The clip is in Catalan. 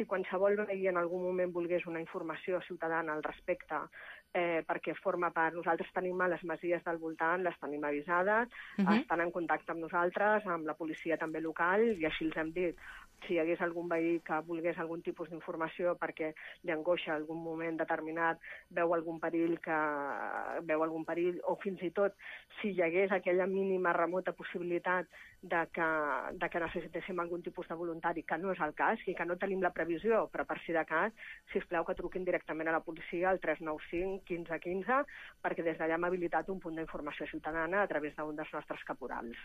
qualsevol veí en algun moment volgués una informació ciutadana al respecte, perquè forma part, nosaltres tenim a les masies del voltant, les tenim avisades, estan en contacte amb nosaltres, amb la policia també local, i així els hem dit. Si hi hagués algun veí que volgués algun tipus d'informació perquè li angoixa algun moment determinat, veu algun perill, o fins i tot si hi hagués aquella mínima remota possibilitat de que necessitéssim algun tipus de voluntari, que no és el cas i que no tenim la previsió, però per si de cas, sisplau que truquin directament a la policia al 395 15 15, perquè des d'allà hem habilitat un punt d'informació ciutadana a través d'un dels nostres caporals.